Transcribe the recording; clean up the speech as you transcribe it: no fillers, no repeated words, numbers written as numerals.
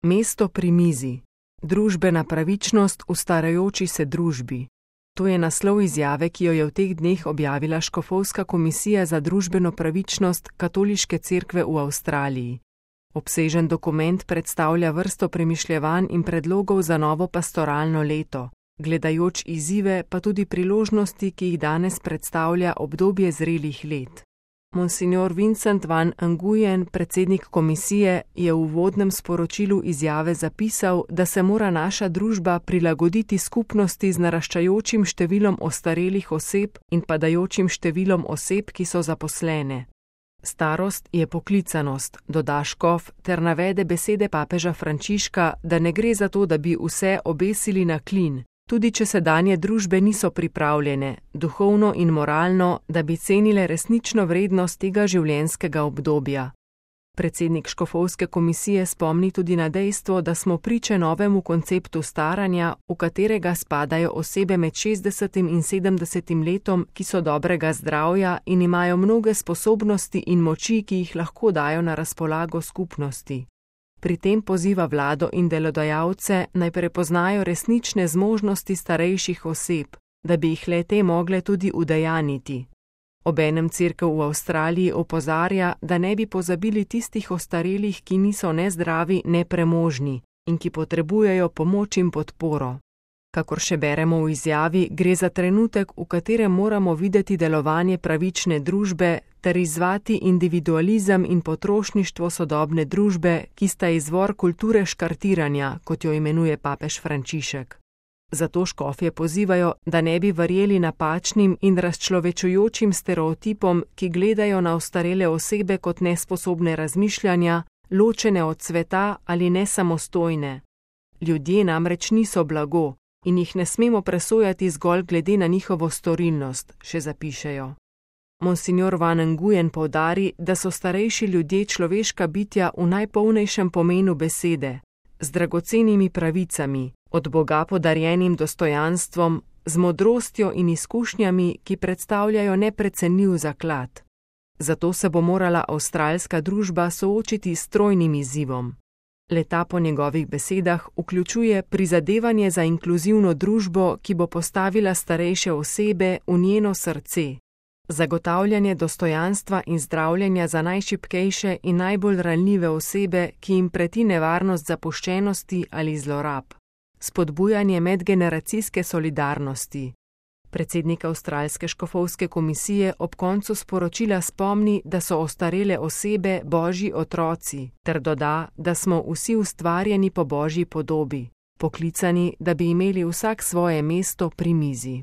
Mesto pri mizi. Družbena pravičnost v starajoči se družbi. To je naslov izjave, ki jo je v teh dneh objavila Škofovska komisija za družbeno pravičnost Katoliške cerkve v Avstraliji. Obsežen dokument predstavlja vrsto premišljevanj in predlogov za novo pastoralno leto, gledajoč izzive pa tudi priložnosti, ki jih danes predstavlja obdobje zrelih let. Monsignor Vincent van Nguyen, predsednik komisije, je v uvodnem sporočilu izjave zapisal, da se mora naša družba prilagoditi skupnosti z naraščajočim številom ostarelih oseb in padajočim številom oseb, ki so zaposlene. Starost je poklicanost, doda škof ter navede besede papeža Frančiška, da ne gre za to, da bi vse obesili na klin, tudi če sedanje družbe niso pripravljene, duhovno in moralno, da bi cenile resnično vrednost tega življenjskega obdobja. Predsednik Škofovske komisije spomni tudi na dejstvo, da smo priče novemu konceptu staranja, v katerega spadajo osebe med 60 in 70 letom, ki so dobrega zdravja in imajo mnoge sposobnosti in moči, ki jih lahko dajo na razpolago skupnosti. Pri tem poziva vlado in delodajalce, naj prepoznajo resnične zmožnosti starejših oseb, da bi jih le-te mogle tudi udejaniti. Obenem cerkev v Avstraliji opozarja, da ne bi pozabili tistih ostarelih, ki niso ne zdravi, ne premožni in ki potrebujejo pomoč in podporo. Kakor še beremo v izjavi, gre za trenutek, v katerem moramo videti delovanje pravične družbe ter izzvati individualizem in potrošništvo sodobne družbe, ki sta izvor kulture škartiranja, kot jo imenuje papež Frančišek. Zato škofje pozivajo, da ne bi verjeli napačnim in razčlovečujočim stereotipom, ki gledajo na ostarele osebe kot nesposobne razmišljanja, ločene od sveta ali nesamostojne. Ljudje namreč niso blago in jih ne smemo presojati zgolj glede na njihovo storilnost, še zapišejo. Monsignor van Nguyen poudari, da so starejši ljudje človeška bitja v najpolnejšem pomenu besede, z dragocenimi pravicami, od Boga podarjenim dostojanstvom, z modrostjo in izkušnjami, ki predstavljajo neprecenljiv zaklad. Zato se bo morala avstralska družba soočiti s trojnim izzivom. Le-ta po njegovih besedah vključuje prizadevanje za inkluzivno družbo, ki bo postavila starejše osebe v njeno srce, zagotavljanje dostojanstva in zdravljenja za najšibkejše in najbolj ranljive osebe, ki jim preti nevarnost zapuščenosti ali zlorab, spodbujanje medgeneracijske solidarnosti. Predsednik Avstralske škofovske komisije ob koncu sporočila spomni, da so ostarele osebe Božji otroci, ter doda, da smo vsi ustvarjeni po Božji podobi, poklicani, da bi imeli vsak svoje mesto pri mizi.